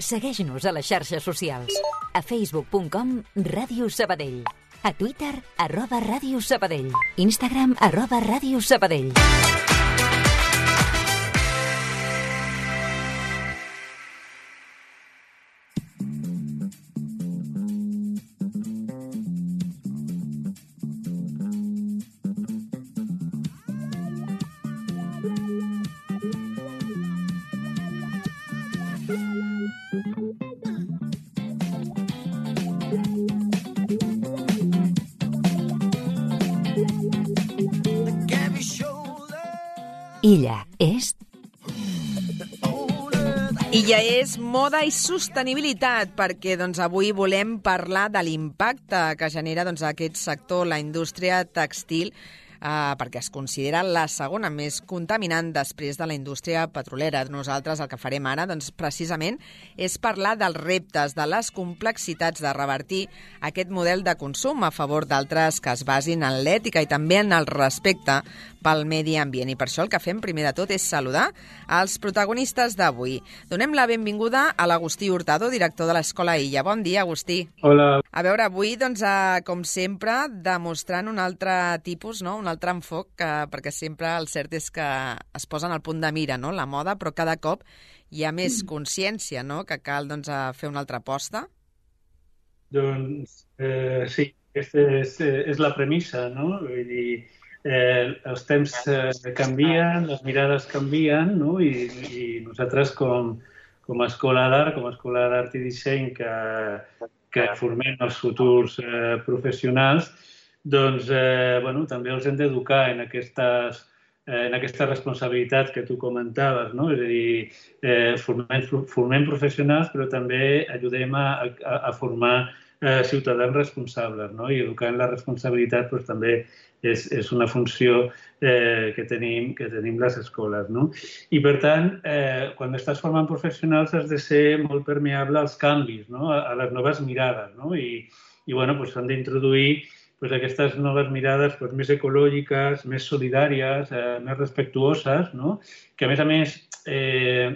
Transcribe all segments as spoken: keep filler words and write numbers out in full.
Segueix-nos a les xarxes socials. A facebook punt com Ràdio Sabadell. A Twitter, arroba Ràdio Sabadell. Instagram, arroba Ràdio Sabadell. Illa és... Illa és moda i sostenibilitat, perquè doncs, avui volem parlar de l'impacte que genera doncs, aquest sector, la indústria tèxtil, Uh, perquè es considera la segona més contaminant després de la indústria petrolera. Nosaltres el que farem ara, doncs, precisament, és parlar dels reptes, de les complexitats de revertir aquest model de consum a favor d'altres que es basin en l'ètica i també en el respecte pel medi ambient. I per això el que fem primer de tot és saludar els protagonistes d'avui. Donem la benvinguda a l'Agustí Hurtado, director de l'Escola Illa. Bon dia, Agustí. Hola. A veure, avui, doncs, uh, com sempre, demostrant un altre tipus, no? un altre enfoc, que, perquè sempre el cert és que es posen al punt de mira, no? la moda, però cada cop hi ha més consciència, no? que cal doncs, fer una altra aposta. Doncs eh, sí, aquesta és, és la premissa, no? Vull dir, eh, els temps eh, canvien, les mirades canvien, no? I, i nosaltres com, com a escola d'art, com a escola d'art i disseny que, que formem els futurs eh, professionals, doncs eh, bueno, també els hem d'educar en aquestes, eh, en aquestes responsabilitats que tu comentaves, no? És a dir, eh, formem, formem professionals, però també ajudem a, a, a formar eh, ciutadans responsables, no? I educar en la responsabilitat doncs, també és, és una funció eh, que, tenim, que tenim les escoles, no? I per tant, eh, quan estàs formant professionals has de ser molt permeable als canvis, no? a, a les noves mirades, no? I, i bueno, doncs, s'han d'introduir pues aquestes noves mirades pues, més ecològiques, més solidàries, eh, més respectuoses, no? Que a més a més eh,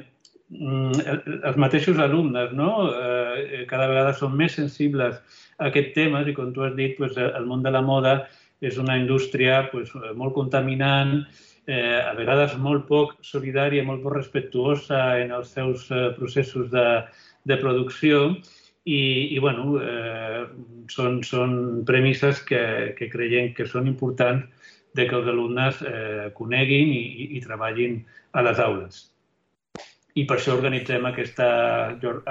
els mateixos alumnes, no? eh, cada vegada són més sensibles a aquests temes i com tu has dit, pues, el món de la moda és una indústria pues, molt contaminant, eh, a vegades molt poc solidària, molt poc respectuosa en els seus eh, processos de, de producció. I, i bueno, eh, són, són premisses que, que creiem que són importants de que els alumnes eh, coneguin i, i, i treballin a les aules. I per això organitzem aquesta,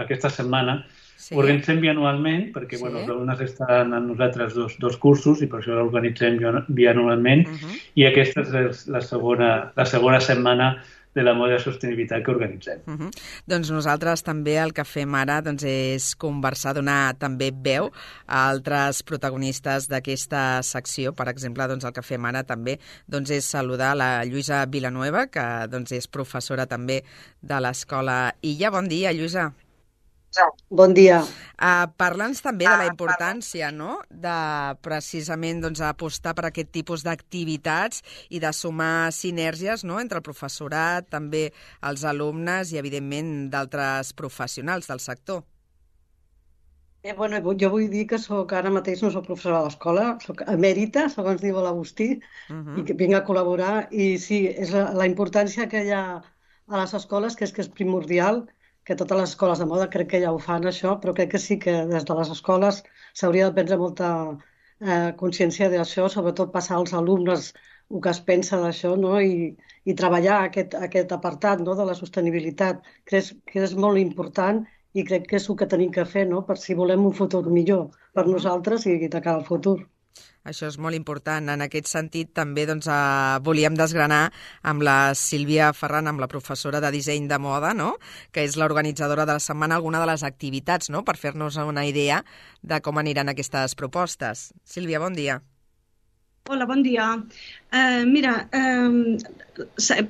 aquesta setmana. Sí. Ho organitzem bianualment, perquè sí. bueno, els alumnes estan amb nosaltres dos, dos cursos i per això l'organitzem bianualment. Uh-huh. I aquesta és la segona, la segona setmana de la moda de sostenibilitat que organitzem. Uh-huh. Doncs nosaltres també el que fem ara doncs, és conversar, donar també veu a altres protagonistes d'aquesta secció. Per exemple, doncs, el que fem ara també doncs, és saludar la Lluïsa Villanueva, que doncs, és professora també de l'Escola Illa. Bon dia, Lluïsa. Bon dia. Uh, Parla'ns també de la importància, no?, de precisament doncs, apostar per aquest tipus d'activitats i de sumar sinergies, no?, entre el professorat, també els alumnes i, evidentment, d'altres professionals del sector. Eh, bueno, jo vull dir que soc, ara mateix no soc professora de l'escola, soc emèrita, segons diu l'Agustí, uh-huh. i que vinc a col·laborar. I sí, és la, la importància que hi ha a les escoles, que és que és primordial, que totes les escoles de moda crec que ja ho fan això, però crec que sí que des de les escoles s'hauria de prendre molta eh, consciència d'això, sobretot passar als alumnes el que es pensa d'això, no? I, i treballar aquest, aquest apartat, no?, de la sostenibilitat. Crec que és molt important i crec que és el que tenim que fer, no?, per si volem un futur millor per nosaltres i de cara al futur. Això és molt important. En aquest sentit, també doncs, eh, volíem desgranar amb la Sílvia Ferran, amb la professora de disseny de moda, no?, que és l'organitzadora de la setmana, alguna de les activitats, no?, per fer-nos una idea de com aniran aquestes propostes. Sílvia, bon dia. Hola, bon dia. Uh, mira, uh,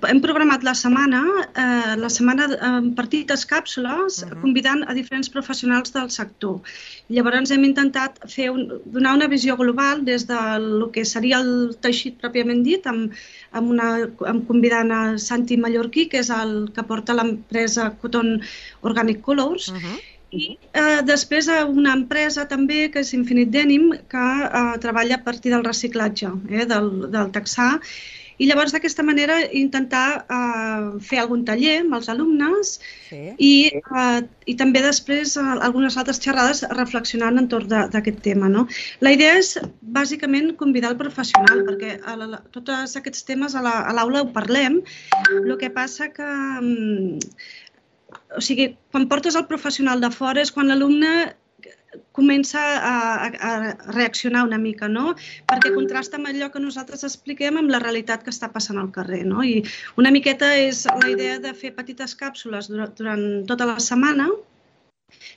hem programat la setmana, uh, la setmana en petites càpsules, uh-huh. convidant a diferents professionals del sector. Llavors hem intentat fer un, donar una visió global des del que seria el teixit pròpiament dit, amb, amb, una, amb convidant a Santi Mallorquí, que és el que porta l'empresa Cotton Organic Colors, uh-huh. I eh, després una empresa també, que és Infinite Denim, que eh, treballa a partir del reciclatge, eh, del, del texà. I llavors d'aquesta manera intentar eh, fer algun taller amb els alumnes sí. i, eh, i també després eh, algunes altres xerrades reflexionant entorn d'aquest tema. No? La idea és bàsicament convidar el professional, perquè a la, tots aquests temes a l'aula ho parlem, el que passa que... O sigui, quan portes el professional de fora és quan l'alumne comença a, a reaccionar una mica, no? Perquè contrasta amb allò que nosaltres expliquem amb la realitat que està passant al carrer, no? I una miqueta és la idea de fer petites càpsules durant, durant tota la setmana,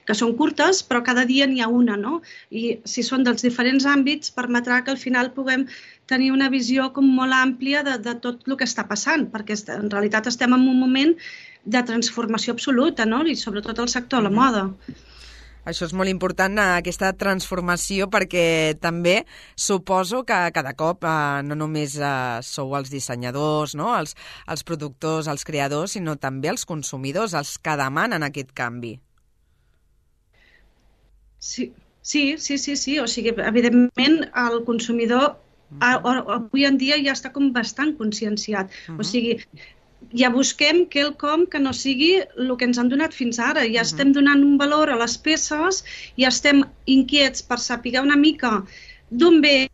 que són curtes, però cada dia n'hi ha una, no? I si són dels diferents àmbits, permetrà que al final puguem tenir una visió com molt àmplia de, de tot el que està passant, perquè en realitat estem en un moment de transformació absoluta, no? I sobretot el sector de la moda. Això és molt important, aquesta transformació, perquè també suposo que cada cop eh, no només eh, sou els dissenyadors, no? els, els productors, els creadors, sinó també els consumidors, els que demanen aquest canvi. Sí, sí, sí, sí, sí. O sigui, evidentment, el consumidor avui en dia ja està com bastant conscienciat. Uh-huh. O sigui, ja busquem quelcom que no sigui el que ens han donat fins ara. Ja uh-huh. estem donant un valor a les peces, ja estem inquiets per saber una mica d'on ve,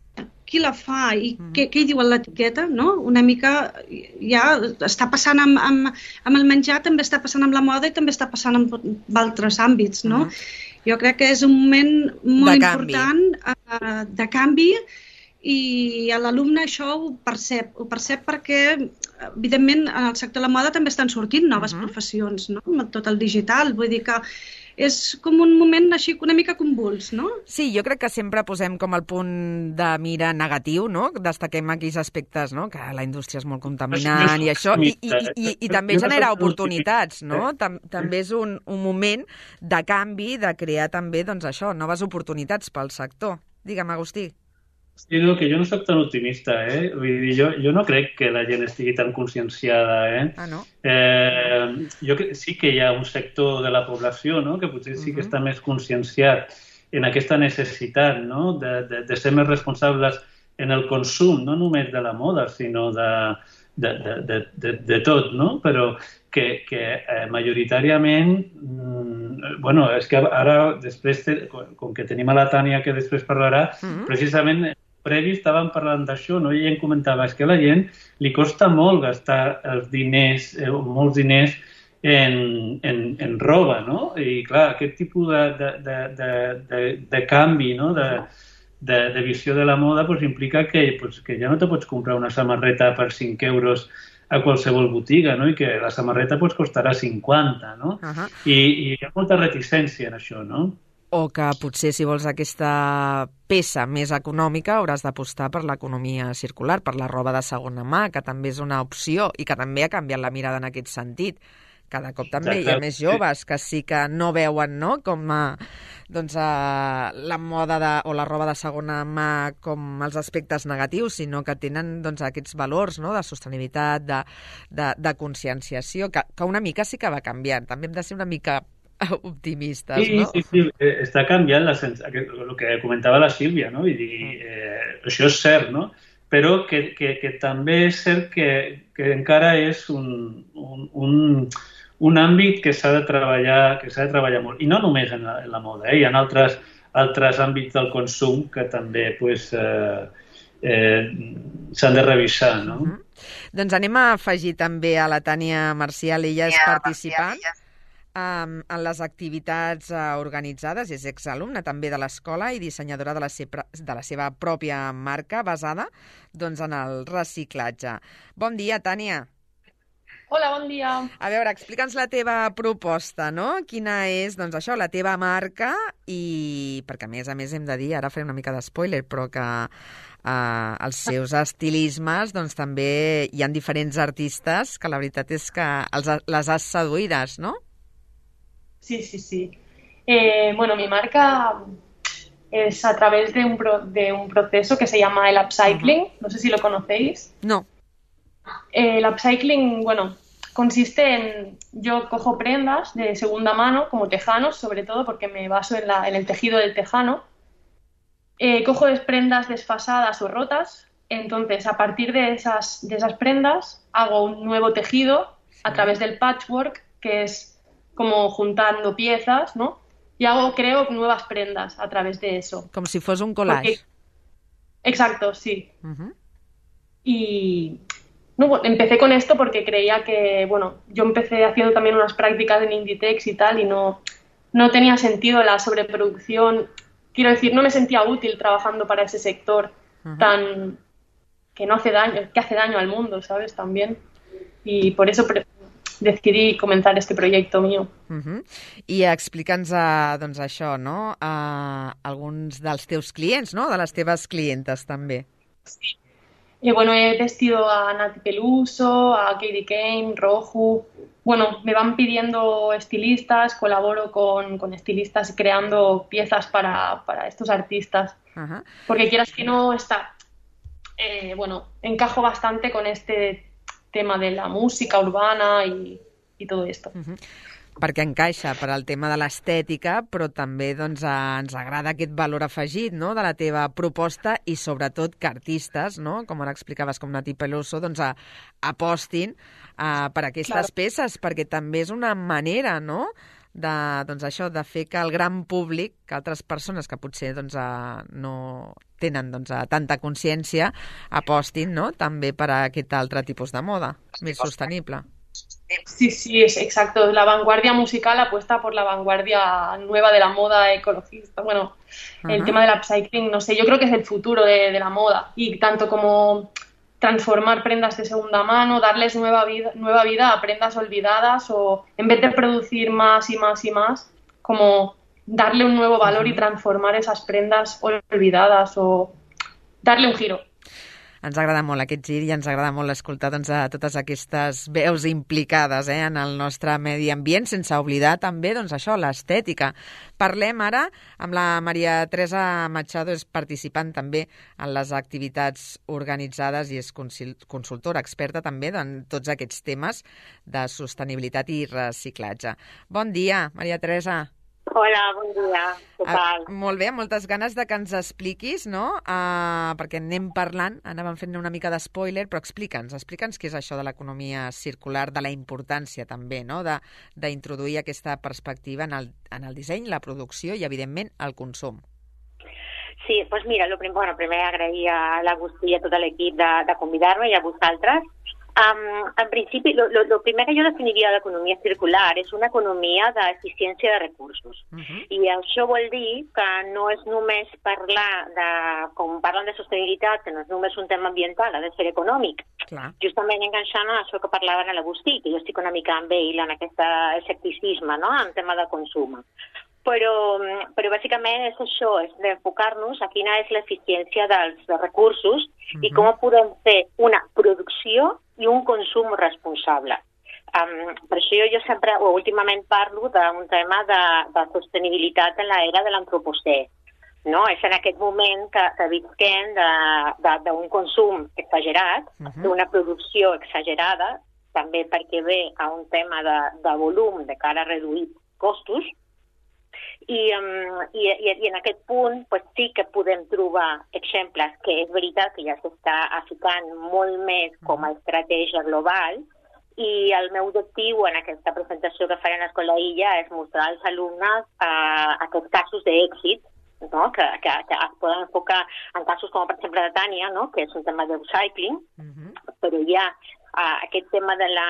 qui la fa i uh-huh. què, què hi diu a l'etiqueta, no? Una mica ja està passant amb, amb, amb el menjar, també està passant amb la moda i també està passant amb, amb altres àmbits, no? Uh-huh. Jo crec que és un moment molt de important uh, de canvi. I l'alumne això ho percep, ho percep perquè, evidentment, en el sector de la moda també estan sortint noves uh-huh. professions, no? Amb tot el digital, vull dir que és com un moment així una mica convuls, no? Sí, jo crec que sempre posem com el punt de mira negatiu, no? Destaquem aquells aspectes, no? Que la indústria és molt contaminant i això, i, i, i, i també genera oportunitats, no? També és un, un moment de canvi, de crear també, doncs això, noves oportunitats pel sector. Digue'm, Agustí. Sí, no, que jo no soc tan optimista, eh? Vull dir, jo, jo no crec que la gent estigui tan conscienciada, eh? Ah, no? Eh, jo que, sí que hi ha un sector de la població, no?, que potser sí que està més conscienciat en aquesta necessitat, no?, de, de, de ser més responsables en el consum, no només de la moda, sinó de, de, de, de, de, de tot, no? Però que, que eh, majoritàriament, mm, bueno, és que ara, després, com que tenim a la Tània que després parlarà, mm-hmm. precisament previ estàvem parlant d'això, no? I ella em comentava, és que a la gent li costa molt gastar els diners, eh, molts diners en, en, en roba, no? I clar, aquest tipus de, de, de, de, de, de canvi, no?, de, de, de visió de la moda, pues, implica que, pues, que ja no te pots comprar una samarreta per cinc euros a qualsevol botiga, no? I que la samarreta pues, costarà cinquanta, no? Uh-huh. I, I hi ha molta reticència en això, no? O que potser si vols aquesta peça més econòmica hauràs d'apostar per l'economia circular, per la roba de segona mà, que també és una opció i que també ha canviat la mirada en aquest sentit. Cada cop també hi ha més joves que sí que no veuen, no?, com a, doncs, a, la moda de, o la roba de segona mà com els aspectes negatius, sinó que tenen doncs, aquests valors, no?, de sostenibilitat, de, de, de conscienciació, que, que una mica sí que va canviant. També hem de ser una mica optimistes, sí, no? Sí, sí, sí, està canviant la sens... el que comentava la Sílvia, no? I dir, eh, això és cert, no? Però que, que, que també és cert que, que encara és un, un, un, un àmbit que s'ha de treballar, que s'ha de treballar molt. I no només en la, en la moda, eh? Hi ha altres, altres àmbits del consum que també pues, eh, eh, s'han de revisar, no? Mm-hmm. Doncs anem a afegir també a la Tània Marcial, ella és participant Um, en les activitats uh, organitzades, és exalumna també de l'escola i dissenyadora de la, seva, de la seva pròpia marca basada doncs, en el reciclatge. Bon dia, Tània. Hola, bon dia. A veure, explica'ns la teva proposta, no? Quina és, doncs això, la teva marca i, perquè a més a més hem de dir, ara faré una mica de spoiler, però que uh, els seus estilismes, doncs també hi ha diferents artistes que la veritat és que els, les has seduïdes, ¿no? Sí, sí, sí. Eh, bueno, mi marca es a través de un, pro, de un proceso que se llama el upcycling. Uh-huh. No sé si lo conocéis. No. Eh, el upcycling, bueno, consiste en... Yo cojo prendas de segunda mano, como tejanos, sobre todo, porque me baso en, la, en el tejido del tejano. Eh, cojo prendas desfasadas o rotas. Entonces, a partir de esas, de esas prendas, hago un nuevo tejido a través del patchwork, que es como juntando piezas, ¿no? Y hago, creo nuevas prendas a través de eso. Como si fuese un collage. Porque... Exacto, sí. Uh-huh. Y no, empecé con esto porque creía que, bueno, yo empecé haciendo también unas prácticas en Inditex y tal, y no, no tenía sentido la sobreproducción. Quiero decir, no me sentía útil trabajando para ese sector uh-huh. tan... que no hace daño, que hace daño al mundo, ¿sabes? También. Y por eso... Pre- decidí començar este projecte meu. Uh-huh. I explica'ns uh, doncs això, no? Uh, alguns dels teus clients, no? De les teves clientes, també. Sí. Y bueno, he vestido a Nati Peluso, a Katie Kane, Roju. Bueno, me van pidiendo estilistas, colaboro con, con estilistas creando piezas para, para estos artistas. Uh-huh. Porque quieras que no, está... Eh, bueno, encajo bastante con este tema de la música urbana i, i tot esto. Uh-huh. Perquè encaixa per al tema de l'estètica, però també doncs, ens agrada aquest valor afegit, no?, de la teva proposta i sobretot que artistes, no?, com ara explicaves com Nati Peluso, doncs, a, apostin uh, per aquestes claro. peces, perquè també és una manera, no?, de, doncs, això, de fer que el gran públic, que altres persones que potser doncs, uh, no tenen doncs, uh, tanta consciència, apostin, no?, també per a aquest altre tipus de moda, més sostenible. Sí, sí, es exacto. La vanguardia musical apuesta por la vanguardia nueva de la moda ecologista. Bueno, uh-huh. el tema del upcycling, no sé, yo creo que es el futuro de, de la moda. Y tanto como transformar prendas de segunda mano, darles nueva vida, nueva vida a prendas olvidadas, o en vez de producir más y más y más, como darle un nuevo valor uh-huh. y transformar esas prendas olvidadas o darle un giro. Ens agrada molt aquest gir i ens agrada molt escoltar doncs, a totes aquestes veus implicades eh, en el nostre medi ambient, sense oblidar també doncs, això, l'estètica. Parlem ara amb la Maria Teresa Machado, és participant també en les activitats organitzades i és consultora experta també en tots aquests temes de sostenibilitat i reciclatge. Bon dia, Maria Teresa. Hola, bon dia. Què tal? Ah, molt bé, moltes ganes de que ens expliquis, no? Uh, perquè anem parlant, anàvem fent una mica de spoiler, però explica'ns, explica'ns què és això de l'economia circular, de la importància també, no?, de, d'introduir aquesta perspectiva en el, en el disseny, la producció i, evidentment, el consum. Sí, doncs mira, lo prim, bueno, primer agrair a l'Agustí i a tot l'equip de, de convidar-me i a vosaltres. Um, en principi, lo, lo, lo primer que jo definiria l'economia circular és una economia d'eficiència de recursos. Uh-huh. I això vol dir que no és només parlar de, com parlen de sostenibilitat, que no és només un tema ambiental, ha de ser econòmic. Clar. Justament enganxant a això que parlaven a l'Agustí, que jo estic una mica amb ell en aquest escepticisme, no?, en tema de consum. Però, però bàsicament és això, és d'enfocar-nos a quina és l'eficiència dels recursos uh-huh. i com podem fer una producció i un consum responsable. Um, per això jo, jo sempre, o últimament parlo d'un tema de, de sostenibilitat en l'era de l'antropocè. No? És en aquest moment que, que visquem d'un consum exagerat, uh-huh. d'una producció exagerada, també perquè ve a un tema de, de volum de cara a reduir costos, I, um, i, i, i en aquest punt pues, sí que podem trobar exemples que és veritat que ja s'està ficant molt més com a estratègia global, i el meu objectiu en aquesta presentació que faré a l'Escola Illa és mostrar als alumnes uh, aquests casos d'èxit, no? que, que, que es poden enfocar en casos com per exemple de Tània, no? que és un tema d'upcycling, uh-huh. però ja uh, aquest tema de la,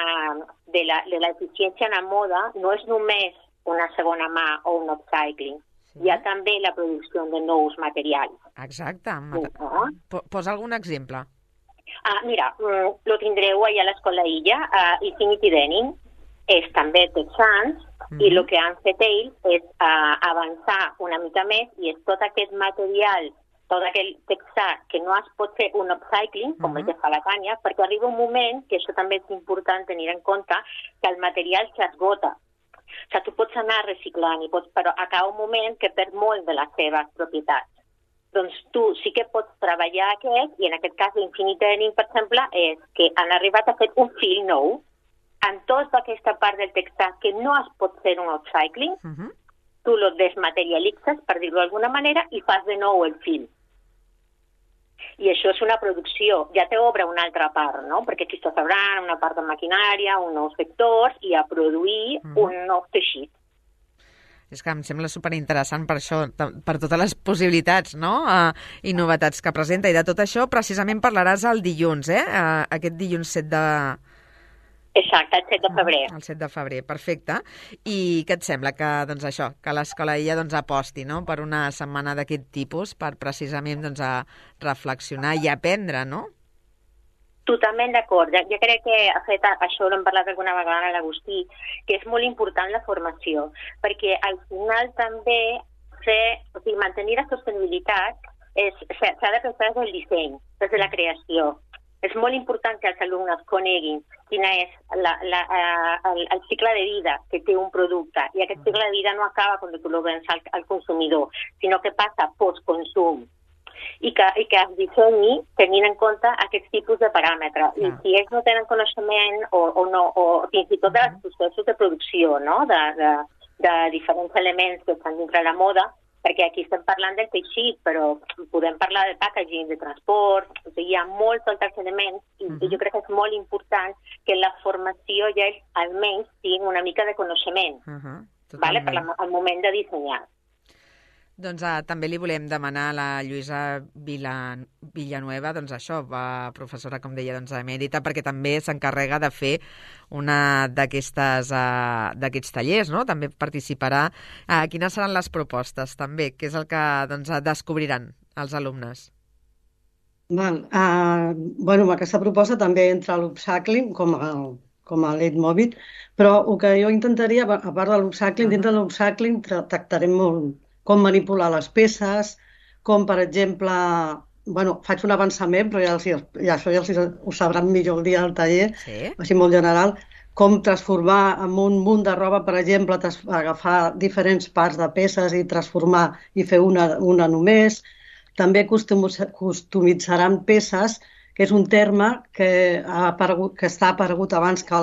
de, la, de la eficiència en la moda no és només una segona mà o un upcycling. Sí. Hi ha també la producció de nous materials. Exacte. Uh-huh. Posa algun exemple. Ah, mira, lo tindreu allà a l'Escola Illa. Uh, Infinity Denim és també texans uh-huh. i el que han fet ells és uh, avançar una mica més i és tot aquest material tot aquell texà que no es pot fer un upcycling, com uh-huh. el que fa la Tània, perquè arriba un moment, que això també és important tenir en compte, que el material s'esgota. O sigui, tu pots anar reciclant, i pots, però acaba un moment que perd molt de les seves propietats. Doncs tu sí que pots treballar aquest, i en aquest cas l'Infinite Denim, per exemple, és que han arribat a fer un fil nou, en tota aquesta part del texà que no es pot fer un upcycling, uh-huh. tu lo desmaterialitzes, per dir-ho d'alguna manera, i fas de nou el fil. I això és una producció, ja t'obre una altra part, no? Perquè aquí estàs obrant una part de maquinària, uns nous sectors, i a produir mm. un nou teixit. És que em sembla superinteressant per això, per totes les possibilitats, no? Uh, i novetats que presenta. I de tot això precisament parlaràs el dilluns, eh? Uh, aquest dilluns set de... Exacte, el set de febrer. El set de febrer, perfecte. I què et sembla que, doncs això, que l'Escola Illa doncs, aposti, no?, per una setmana d'aquest tipus, per precisament doncs, a reflexionar i aprendre, no? Totalment d'acord. Jo crec que, de fet, això l'hem parlat alguna vegada a l'Agustí, que és molt important la formació, perquè al final també fer, o sigui, mantenir la sostenibilitat s'ha de pensar des del disseny, des de la creació. És molt important que els alumnes coneguin quina és la, la, el, el cicle de vida que té un producte. I aquest cicle de vida no acaba quan tu lo vens al, al consumidor, sinó que passa post-consum. I que, i que es dissenyi tenint en compte aquests tipus de paràmetres. I si ells no tenen coneixement o, o, no, o fins i tot dels processos de producció, no?, de, de, de diferents elements que estan dintre la moda, perquè aquí estem parlant del teixit, però podem parlar del packaging, de transport, o sigui, hi ha molts altres elements, i uh-huh. jo crec que és molt important que la formació ja almenys tingui una mica de coneixement, uh-huh. vale? Per la, al moment de dissenyar. Doncs uh, també li volem demanar a la Lluïsa Vila, Villanueva, doncs això, va, professora, com deia, doncs, emèrita, perquè també s'encarrega de fer una d'aquestes uh, d'aquests tallers, no? També participarà. Uh, quines seran les propostes, també? Què és el que doncs, descobriran els alumnes? Val, uh, bueno, aquesta proposta també entra l'upcycling com a, com a leitmotiv, però el que jo intentaria, a part de l'upcycling, uh-huh. dintre de l'upcycling tractarem molt com manipular les peces, com, per exemple, bueno, faig un avançament, però ja, els, ja això ja els, ho sabran millor el dia del taller, sí. Així molt general, com transformar en un munt de roba, per exemple, agafar diferents parts de peces i transformar i fer una, una només. També customitzaran peces, que és un terme que, ha aparegut, que està aparegut abans que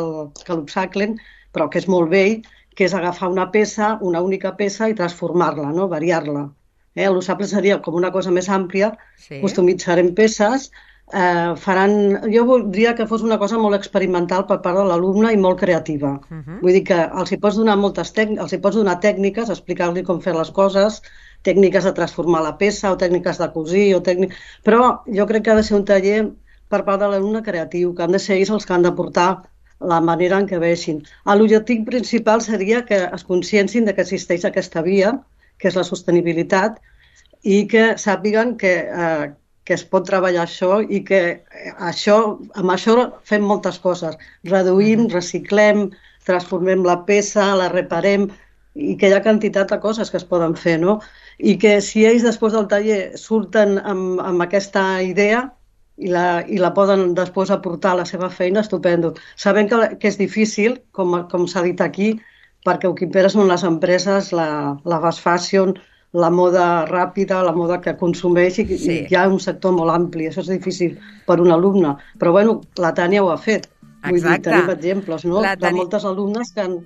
l'upcycling, però que és molt vell, que és agafar una peça, una única peça, i transformar-la, no? Variar-la. Eh? L'upcycling seria com una cosa més àmplia, sí. Customitzarem peces, eh, faran... Jo voldria que fos una cosa molt experimental per part de l'alumne i molt creativa. Uh-huh. Vull dir que els hi pots donar moltes tècniques, els hi pots donar tècniques, explicar-li com fer les coses, tècniques de transformar la peça o tècniques de cosir, o tècnic... però jo crec que ha de ser un taller per part de l'alumne creatiu, que han de ser ells els que han de portar la manera en què vegin. L'objectiu principal seria que es consciencin de que existeix aquesta via, que és la sostenibilitat, i que sàpiguen que, eh, que es pot treballar això i que això, amb això fem moltes coses. Reduïm, reciclem, transformem la peça, la reparem, i que hi ha quantitat de coses que es poden fer, no? I que si ells després del taller surten amb, amb aquesta idea, i la, i la poden després aportar a la seva feina, estupendo. Sabem que, que és difícil, com, com s'ha dit aquí, perquè el que impera són les empreses, la, la fast fashion, la moda ràpida, la moda que consumeix, i, sí. i hi ha un sector molt ampli. Això és difícil per un alumne. Però, bueno, la Tània ho ha fet. Vull dir, tenim exemples, no? Tània... de moltes alumnes que han,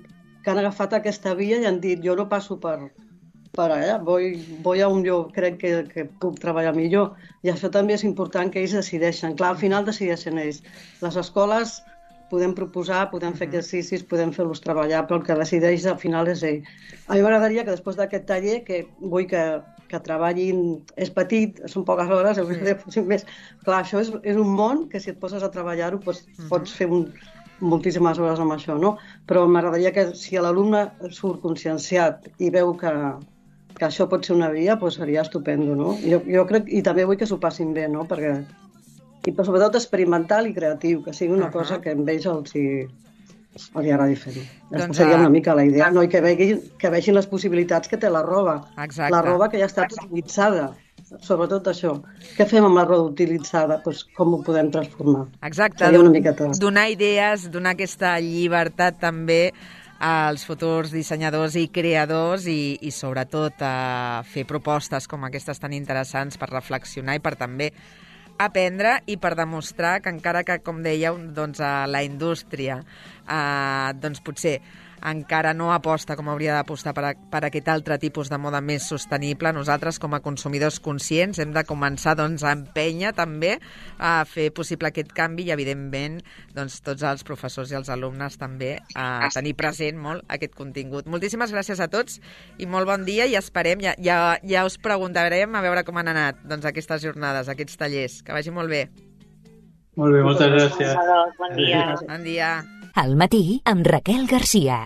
que han agafat aquesta via i han dit, jo no passo per... per allà, vull, vull on jo crec que, que puc treballar millor. I això també és important que ells decideixen. Clar, al final decideixen ells. Les escoles podem proposar, podem fer exercicis, podem fer-los treballar, però el que decideix al final és ell. A mi m'agradaria que després d'aquest taller, que vull que, que treballin, és petit, són poques hores, sí. més. Clar, això és, és un món que si et poses a treballar-ho pots, uh-huh. pots fer un, moltíssimes hores amb això, no? Però m'agradaria que si l'alumne surt conscienciat i veu que que això pot ser una via, doncs seria estupendo, no? Jo, jo crec, i també vull que s'ho passin bé, no? Perquè, i però sobretot experimental i creatiu, que sigui una uh-huh. cosa que amb ells els hi, els hi agradi fer-ho. Doncs seria una mica la idea, no? I que vegin, que vegin les possibilitats que té la roba. Exacte. La roba que ja està utilitzada. sobretot això. Què fem amb la roba utilitzada? Pues, com ho podem transformar? Exacte, Seria una miqueta. donar idees, donar aquesta llibertat també als futurs dissenyadors i creadors i, i sobretot a fer propostes com aquestes tan interessants per reflexionar i per també aprendre i per demostrar que encara que, com dèieu, doncs, a la indústria eh, doncs potser encara no aposta com hauria d'apostar per, a, per aquest altre tipus de moda més sostenible, nosaltres com a consumidors conscients hem de començar doncs, a empènyer també a fer possible aquest canvi i evidentment doncs, tots els professors i els alumnes també a tenir present molt aquest contingut. Moltíssimes gràcies a tots i molt bon dia i esperem, ja, ja, ja us preguntarem a veure com han anat doncs, aquestes jornades, aquests tallers. Que vagi molt bé. Molt bé, moltes gràcies. Bon dia. Bon dia. Al matí amb Raquel Garcia.